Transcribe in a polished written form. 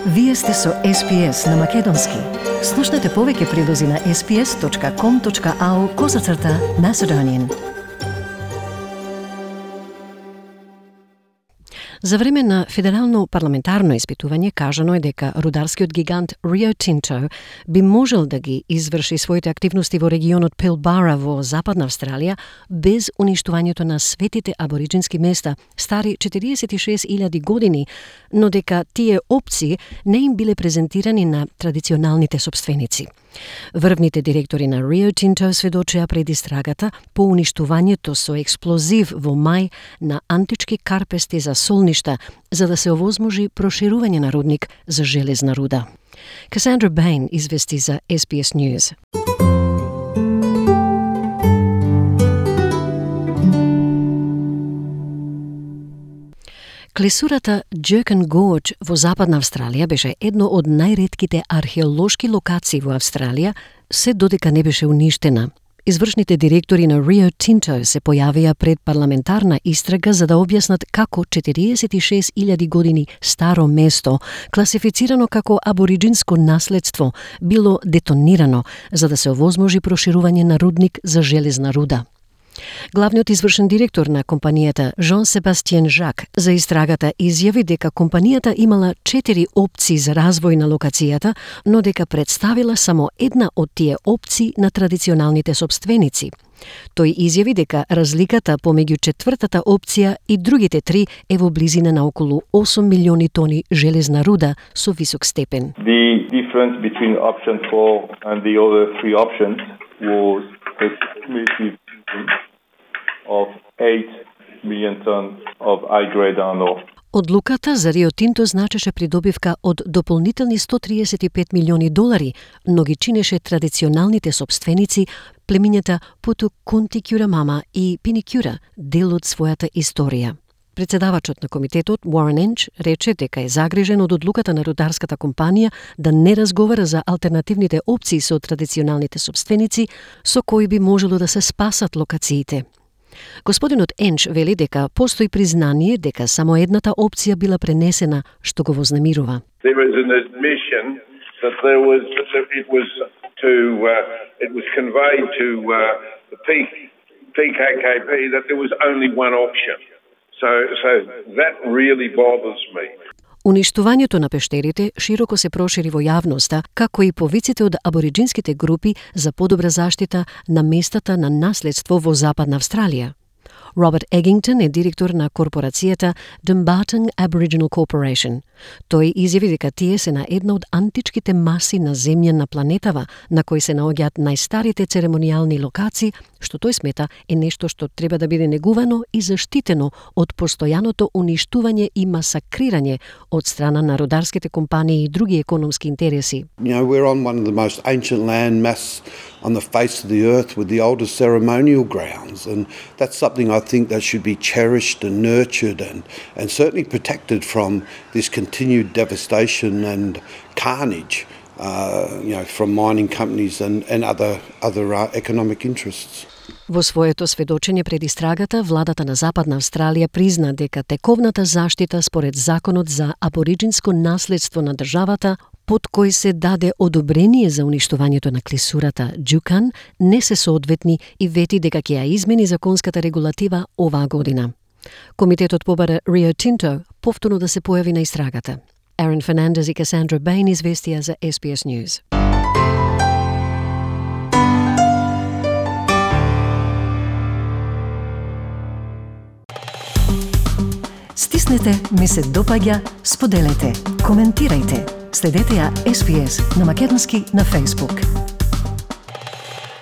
Вие сте со SPS на Македонски. Слушнете повеќе прилози на sps.com.au/Macedonian. За време на федерално парламентарно испитување кажано е дека рударскиот гигант Rio Tinto би можел да ги изврши своите активности во регионот Pilbara во Западна Австралија без уништувањето на светите абориджински места, стари 46.000 години, но дека тие опции не им биле презентирани на традиционалните сопственици. Врвните директори на Rio Tinto сведочеа пред истрагата по уништувањето со експлозив во мај на антички карпести за солништа, за да се овозможи проширување на рудник за железна руда. Cassandra Bain извести за SBS News. Клисурата Jerkin Gorge во Западна Австралија беше едно од најретките археолошки локации во Австралија, се додека не беше уништена. Извршните директори на Rio Tinto се појавија пред парламентарна истрага за да објаснат како 46.000 години старо место, класифицирано како абориджинско наследство, било детонирано за да се овозможи проширување на рудник за железна руда. Главниот извршен директор на компанијата Jean-Sébastien Jacques за истрагата изјави дека компанијата имала 4 опции за развој на локацијата, но дека представила само една од тие опции на традиционалните сопственици. Тој изјави дека разликата помеѓу четвртата опција и другите 3 е во близина на околу 8 милиони тони железна руда со висок степен. The difference between option 4 and the other 3 options was a cumulative of 8 million tons of high-grade iron ore. Одлуката за Рио Тинто значеше придобивка од дополнителни $135 милиони, но ги чинеше традиционалните сопственици, племињата Путу-Кунти Кюрамама и Пини-Кюра, дел од својата историја. Председавачот на комитетот, Warren Ench, рече дека е загрижен од одлуката на рударската компанија да не разговара за алтернативните опции со традиционалните сопственици, со кои би можело да се спасат локациите. Господинот Енч вели дека постои признание дека само едната опција била пренесена, што го вознемирува. There is an admission that it was conveyed to the PKKP that there was only one option. So that really bothers me. Уништувањето на пештерите широко се прошири во јавноста, како и повиците од абориджинските групи за подобра заштита на местата на наследство во Западна Австралија. Роберт Егингтон е директор на корпорацијата Dumbarton Aboriginal Corporation. Тој изјави дека тие се на една од античките маси на земја на планетава, на кои се наоѓаат најстарите церемонијални локации, што тој смета е нешто што треба да биде негувано и заштитено од постојаното уништување и масакрирање од страна на рударските компании и други економски интереси. We're on one of the most ancient land mass on the face of the earth with the oldest ceremonial grounds, and that's something I think that should be cherished and nurtured and certainly protected from this continued devastation and carnage, from mining companies and other economic interests. Во своето сведочење пред истрагата, владата на Западна Австралија призна дека тековната заштита според Законот за абориджинско наследство на државата, под кој се даде одобрение за уништувањето на клисурата Juukan, не се соодветни и вети дека ќе ја измени законската регулатива оваа година. Комитетот побара Rio Tinto повторно да се појави на истрагата. Aaron Fernandez и Cassandra Bain известија за SBS News. Стиснете, ми се допаѓа, споделете, коментирајте. Следете ја SBS на Македонски на Facebook.